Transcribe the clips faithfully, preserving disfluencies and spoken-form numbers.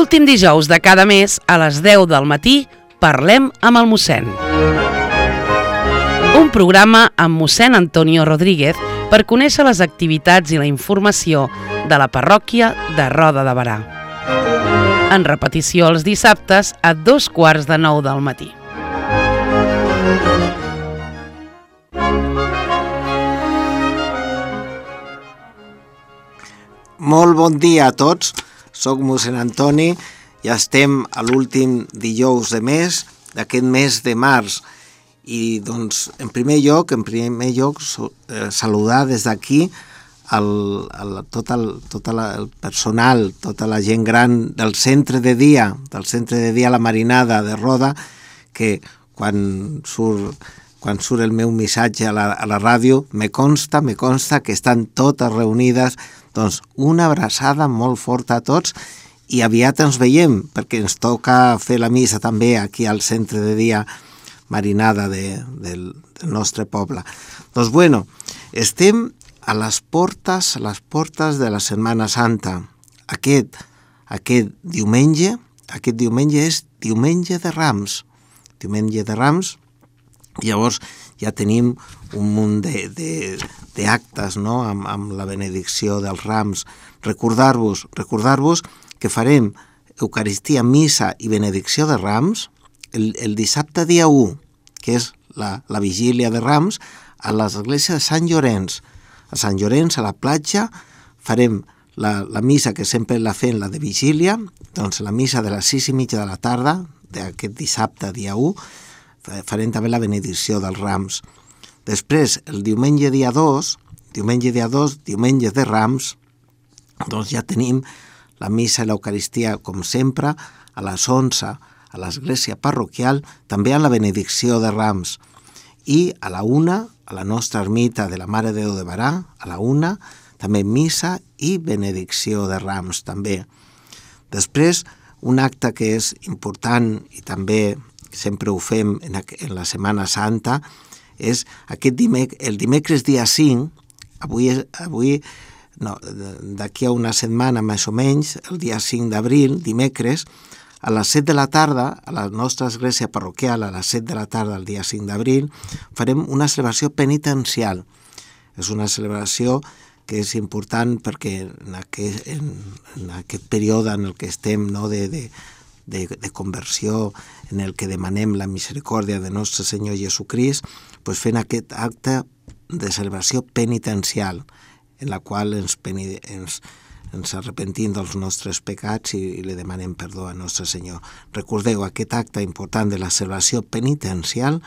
L'últim dijous de cada mes, a les deu del matí, parlem amb el mossèn. Un programa amb mossèn Antonio Rodríguez per conèixer les activitats i la informació de la parròquia de Roda de Berà. En repetició els dissabtes a dos quarts de nou del matí. Molt bon dia a tots, soc mossèn Antoni i estem a l'últim dijous de mes, d'aquest mes de març. I doncs, en primer lloc, en primer lloc, eh, saludar des d'aquí el, el, tot, el, tot el personal, tota la gent gran del centre de dia, del centre de dia La Marinada de Roda, que quan surt, quan surt el meu missatge a la, a la ràdio, me consta, me consta que estan totes reunides. Doncs una abraçada molt forta a tots i aviat ens veiem, perquè ens toca fer la missa també aquí al centre de dia Marinada de, del, del nostre poble. Doncs bueno, estem a les portes, a les portes de la Setmana Santa. Aquest, aquest diumenge, aquest diumenge és diumenge de Rams. Diumenge de Rams, llavors ja tenim un munt de, de, de actes, no? amb, amb la benedicció dels Rams. Recordar-vos, recordar-vos que farem Eucaristia, missa i benedicció de Rams el, el dissabte dia u, que és la, la vigília de Rams, a l'església de Sant Llorenç. A Sant Llorenç, a la platja, farem la, la missa que sempre la fem, la de vigília, doncs la missa de les sis i mitja de la tarda, d'aquest dissabte dia u, farem també la benedicció dels Rams. Després, el diumenge dia dos, diumenge dia dos, diumenge de Rams, doncs ja tenim la missa i l'Eucaristia, com sempre, a les onze, a l'església parroquial, també a la benedicció de Rams. I a la una, a la nostra ermita de la Mare de Déu de Berà, a la una, també missa i benedicció de Rams, també. Després, un acte que és important i també sempre ho fem en, en la Setmana Santa, és aquest dimec el dimecres dia cinc, avui, avui no, d'aquí a una setmana més o menys, el dia cinc d'abril, dimecres, a les set de la tarda, a la nostra església parroquial, a les set de la tarda, el dia cinc d'abril, farem una celebració penitencial. És una celebració que és important perquè en aquest, en, en aquest període en el que estem, no, de, de, de, de conversió, en el que demanem la misericòrdia de nostre Senyor Jesucrist, pues fent aquest acte de celebració penitencial, en la qual ens, ens, ens arrepentim dels nostres pecats i, i li demanem perdó a nostre Senyor. Recordeu aquest acte important de la celebració penitencial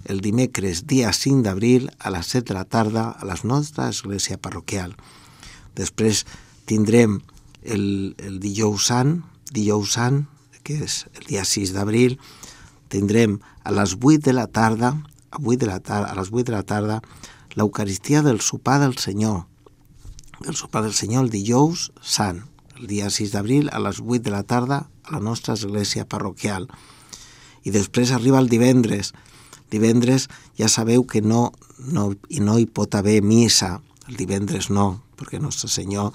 el dimecres dia cinc d'abril a les set de la tarda a la nostra església parroquial. Després tindrem el, el dijous sant, dijous sant, que és el dia sis d'abril, tindrem a les vuit de la tarda, a, vuit de la tarda, a les vuit de la tarda, l'Eucaristia del sopar del Senyor. El sopar del Senyor el dijous sant, el dia sis d'abril, a les vuit de la tarda, a la nostra església parroquial. I després arriba el divendres. Divendres ja sabeu que no, no, i no hi pot haver missa. El divendres no, perquè nostre Senyor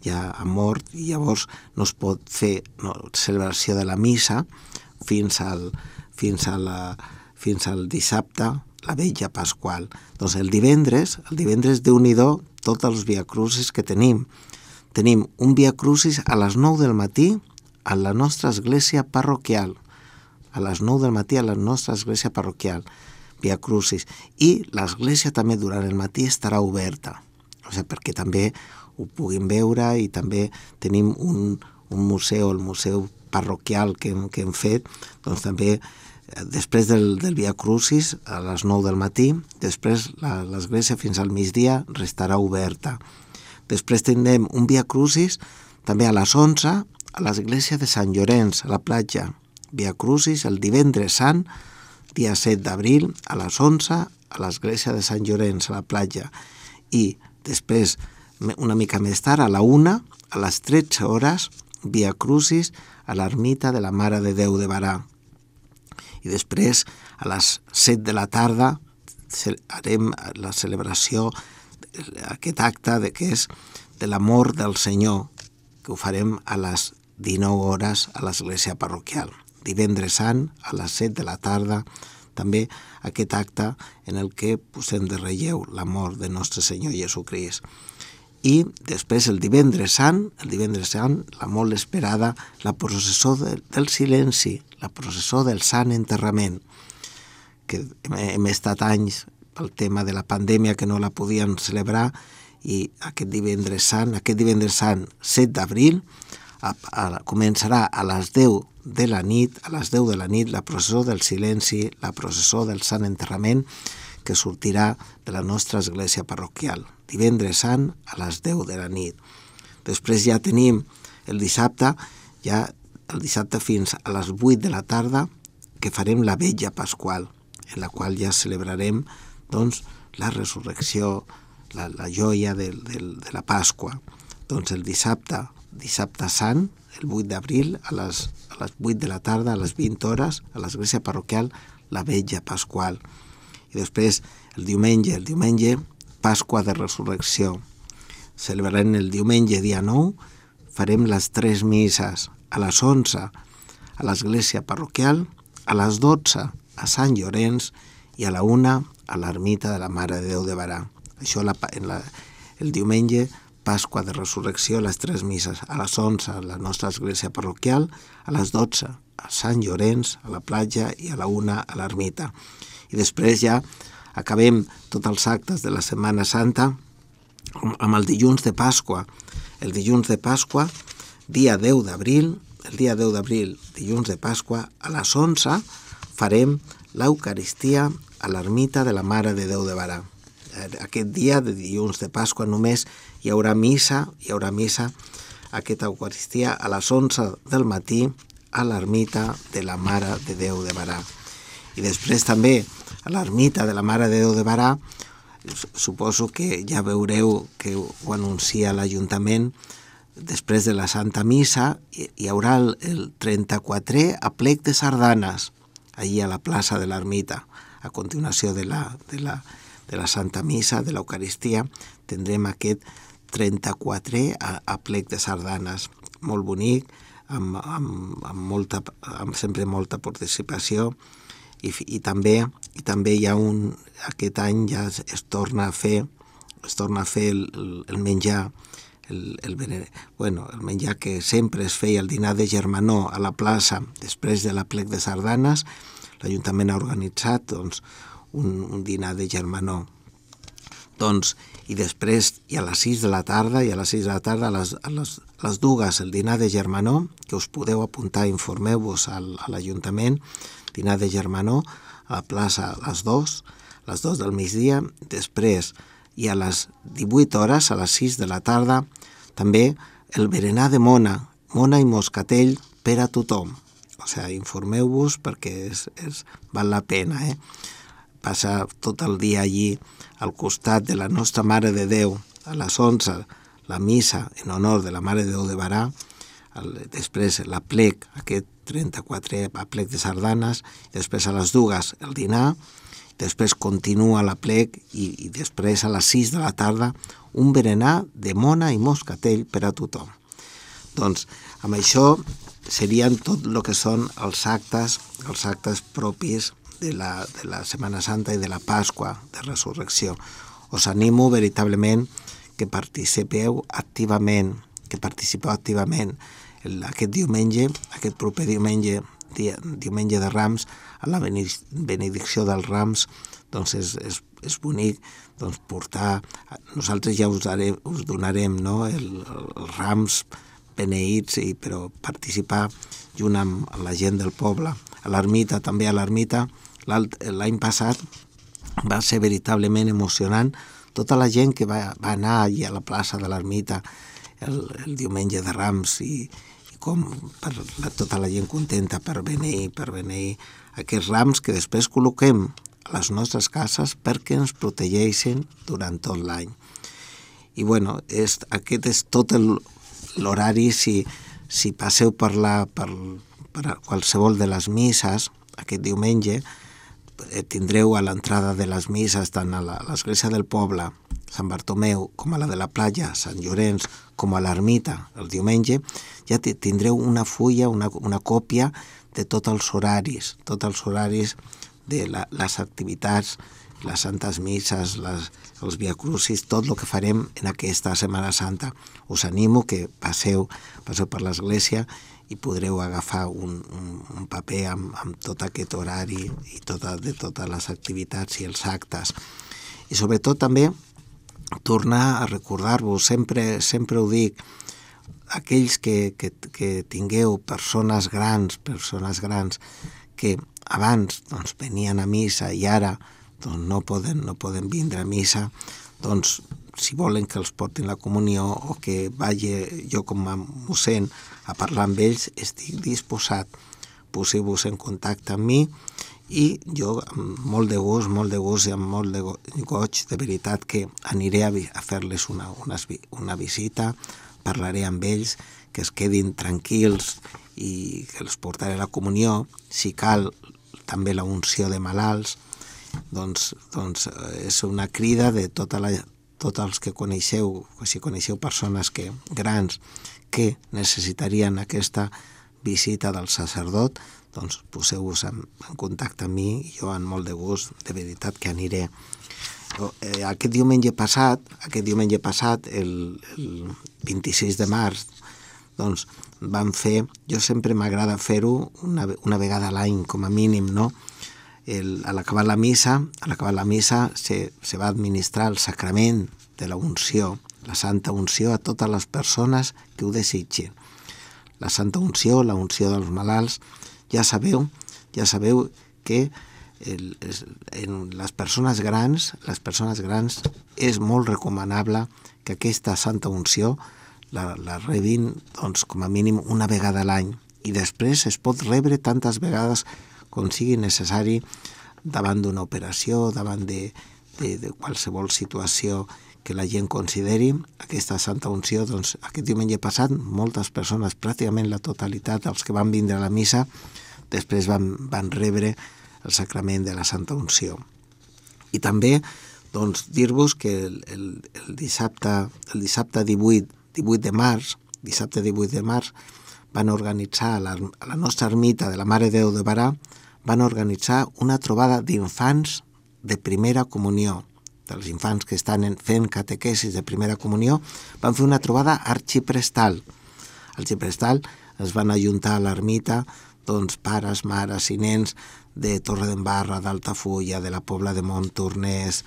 ja ha mort i llavors no es pot fer no, celebració de la missa fins al, fins a la, fins al dissabte, la vetlla pasqual. Doncs el divendres, el divendres Déu-n'hi-do, tots els viacrucis que tenim. Tenim un viacrucis a les nou del matí a la nostra església parroquial. A les nou del matí a la nostra església parroquial, viacrucis. I l'església també durant el matí estarà oberta. O sigui, perquè també ho puguin veure i també tenim un, un museu, el museu parroquial que hem, que hem fet, doncs també després del, del Via Crucis a les nou del matí, després la, l'església fins al migdia restarà oberta. Després tindrem un Via Crucis també a les onze a l'església de Sant Llorenç, a la platja. Via Crucis el divendres sant, dia set d'abril, a les onze a l'església de Sant Llorenç, a la platja. I després, una mica més tard, a la una, a les tretze hores, Via Crucis a l'ermita de la Mare de Déu de Berà. I després, a les set de la tarda, farem la celebració, aquest acte de que és de l'amor del Senyor, que ho farem a les dinou hores a l'església parroquial. Divendres Sant, a les set de la tarda, també aquest acte en el que posem de relleu la mort de nostre Senyor Jesucrist. I després el divendres Sant, el divendres Sant, la molt esperada, la processó de, del silenci, la processó del Sant Enterrament, que hem estat anys pel tema de la pandèmia que no la podien celebrar, i aquest divendres Sant, aquest divendres Sant, set d'abril, a, a, començarà a les deu de la nit, a les deu de la nit, la processó del silenci, la processó del Sant Enterrament, que sortirà de la nostra església parroquial. Divendres Sant a les deu de la nit. Després ja tenim el dissabte, ja el dissabte fins a les vuit de la tarda, que farem la vetlla pasqual, en la qual ja celebrarem doncs, la resurrecció, la, la joia de, de, de la Pasqua. Doncs el dissabte, dissabte Sant, el vuit d'abril, a les, a les vuit de la tarda, a les vint hores, a l'església parroquial, la vetlla pasqual. I després el diumenge, el diumenge, Pasqua de Resurrecció. Celebrarem el diumenge, dia nou, farem les tres misses, a les onze a l'església parroquial, a les dotze a Sant Llorenç i a la una a l'ermita de la Mare de Déu de Barà. Això la, en la, el diumenge, Pasqua de Resurrecció, les tres misses, a les onze a la nostra església parroquial, a les dotze a Sant Llorenç, a la platja, i a la una a l'ermita. I després ja acabem tots els actes de la Setmana Santa amb el dilluns de Pasqua. El dilluns de Pasqua, dia deu d'abril, el dia deu d'abril, dilluns de Pasqua, a les onze farem l'Eucaristia a l'ermita de la Mare de Déu de Barà. Aquest dia de dilluns de Pasqua només hi haurà missa, hi haurà missa, aquesta Eucaristia a les onze del matí a l'ermita de la Mare de Déu de Barà. I després també a l'ermita de la Mare de Déu de Barà, suposo que ja veureu que ho anuncia l'Ajuntament, després de la Santa Missa hi haurà el, el trenta-quatrè aplec de sardanes allí a la plaça de l'ermita. A continuació de la, de la, de la Santa Missa, de l'Eucaristia, tindrem aquest trenta-quatrè aplec de sardanes, molt bonic, amb, amb, amb, molta, amb sempre molta participació, i, i, també, i també hi ha un, aquest any ja es, es torna a fer, es torna a fer el, el, el menjar, el, el, bueno, el menjar que sempre es feia, el dinar de germanor a la plaça, després de l'aplec de sardanes. L'Ajuntament ha organitzat doncs, un, un dinar de germanor. Doncs, i després, i a les sis de la tarda, i a les sis de la tarda, a les, a les, a les dues, el dinar de germanor, que us podeu apuntar, informeu-vos al, a l'Ajuntament, dinar de germanor, a la plaça a les dues, a les dues del migdia, després, i a les divuit hores, a les sis de la tarda, també el berenar de mona, mona i moscatell per a tothom. O sigui, informeu-vos perquè és, és, val la pena, eh? Passar tot el dia allí al costat de la nostra Mare de Déu, a les onze, la missa en honor de la Mare de Déu de Barà, el, després l'aplec, aquest trenta-quatrè aplec de sardanes, després a les dues el dinar, després continua l'aplec i, i després a les sis de la tarda un berenar de mona i moscatell per a tothom. Doncs amb això serien tot el que són els actes, els actes propis de la, de la Setmana Santa i de la Pasqua de Resurrecció. Us animo veritablement que participeu activament, que participeu activament el, aquest diumenge, aquest proper diumenge, dia, diumenge de Rams, a la benedicció dels Rams, doncs és, és, és bonic doncs, portar, nosaltres ja us, daré, us donarem no, el, els Rams beneïts, i, però participar junt amb la gent del poble. A l'ermita, també a l'ermita, l'any passat va ser veritablement emocionant tota la gent que va, va anar allà a la plaça de l'ermita el, el diumenge de Rams i, i com per la, tota la gent contenta per beneir, per beneir aquests rams que després col·loquem a les nostres cases perquè ens protegeixen durant tot l'any. I bueno, és, aquest és tot l'horari. Si, si passeu per, la, per, per qualsevol de les misses aquest diumenge, tindreu a l'entrada de les misses tant a l'església del poble, Sant Bartomeu, com a la de la platja, Sant Llorenç, com a l'ermita el diumenge, ja tindreu una fulla, una, una còpia de tots els horaris, tots els horaris de la, les activitats, les santes misses, les, els viacrucis, tot el que farem en aquesta Setmana Santa. Us animo que passeu, passeu per l'església i podreu agafar un, un, un paper amb, amb tot aquest horari i tota, de totes les activitats i els actes. I sobretot també tornar a recordar-vos, sempre, sempre ho dic, aquells que, que, que tingueu persones grans, persones grans que abans doncs, venien a missa i ara doncs, no, poden, no poden vindre a missa, doncs si volen que els portin la comunió o que vagi jo com a mossèn a parlar amb ells, estic disposat. Poseu-vos en contacte amb mi i jo amb molt de gust, molt de gust i amb molt de goig, de veritat que aniré a, a fer-les una, una, una visita, parlaré amb ells, que es quedin tranquils i que els portaré la comunió, si cal també la unció de malalts, doncs, doncs és una crida de tota la, tots els que coneixeu, si coneixeu persones que, grans que necessitarien aquesta visita del sacerdot, doncs poseu-vos en, en contacte amb mi i jo amb molt de gust, de veritat que aniré. Eh, aquest diumenge passat, aquest diumenge passat, el, el vint-i-sis de març, doncs vam fer, jo sempre m'agrada fer-ho una, una vegada a l'any com a mínim, no? El, a l'acabar la missa, a l'acabar la missa se, se va administrar el sacrament de la unció, la santa unció a totes les persones que ho desitgin. La santa unció, la unció dels malalts, ja sabeu, ja sabeu que el, es, en les persones grans, les persones grans és molt recomanable que aquesta santa unció la, la rebin doncs, com a mínim una vegada a l'any i després es pot rebre tantes vegades com sigui necessari davant d'una operació, davant de, de, de qualsevol situació que la gent consideri aquesta santa unció. Doncs aquest diumenge passat moltes persones, pràcticament la totalitat dels que van vindre a la missa, després van, van rebre el sacrament de la santa unció. I també doncs, dir-vos que el, el, el dissabte, el dissabte divuit, divuit de març, dissabte divuit de març, van organitzar a la, a la nostra ermita de la Mare de Déu de Barà, van organitzar una trobada d'infants de primera comunió, dels infants que estan fent catequesis de primera comunió, van fer una trobada arxiprestal. Arxiprestal es van ajuntar a l'ermita doncs, pares, mares i nens de Torredembarra, d'Altafulla, de la Pobla de Montornès,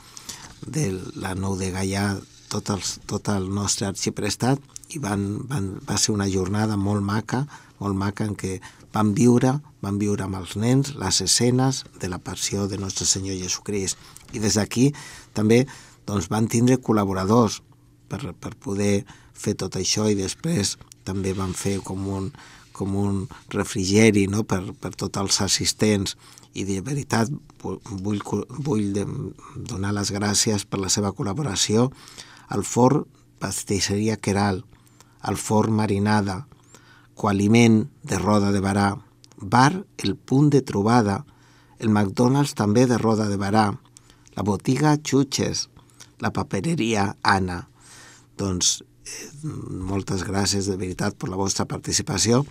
de la Nou de Gaià, tot, els, tot el nostre arxiprestat, i van, van, va ser una jornada molt maca, molt maca en què van viure, van viure amb els nens les escenes de la passió de Nostre Senyor Jesucrist. I des d'aquí també doncs, van tindre col·laboradors per, per poder fer tot això i després també van fer com un, com un refrigeri, no? per, per tots els assistents. I de veritat vull, vull donar les gràcies per la seva col·laboració al Forn Pastisseria Queralt, al Forn Marinada, Coaliment de Roda de Barà, Bar El Punt de Trobada, el McDonald's també de Roda de Barà, la botiga Xuches, la papereria Anna. Doncs eh, moltes gràcies de veritat per la vostra participació.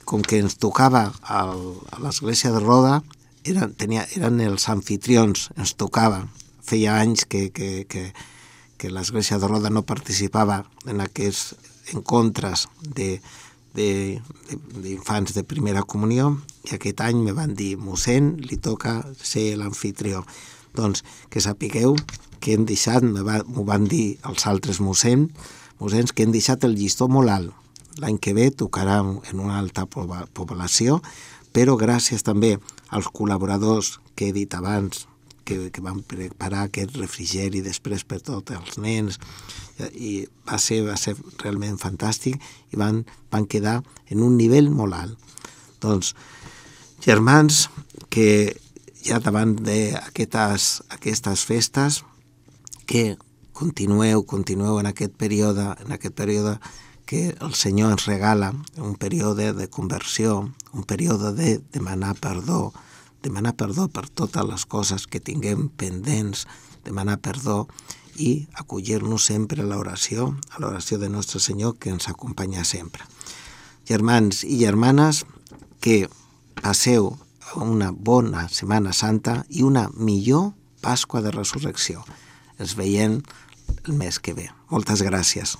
Com que ens tocava al, a l'església de Roda, eren, tenia, eren els anfitrions, ens tocava. Feia anys que, que, que, que l'església de Roda no participava en aquests encontres de d'infants de, de, de primera comunió i aquest any me van dir mossèn, li toca ser l'anfitrió. Doncs que sapigueu que hem deixat, m'ho va, van dir els altres mossèn, mossèns que hem deixat el llistó molt alt. L'any que ve tocarà en una alta població, però gràcies també als col·laboradors que he dit abans, que, que van preparar aquest refrigeri després per tots els nens, i va ser, va ser realment fantàstic i van, van quedar en un nivell molt alt. Doncs, germans, que ja davant d'aquestes aquestes festes, que continueu, continueu en aquest període, en aquest període que el Senyor ens regala, un període de conversió, un període de demanar perdó, demanar perdó per totes les coses que tinguem pendents, demanar perdó i acollir-nos sempre a l'oració, a l'oració de Nostre Senyor, que ens acompanya sempre. Germans i germanes, que passeu una bona Setmana Santa i una millor Pasqua de Resurrecció. Els veiem el mes que ve. Moltes gràcies.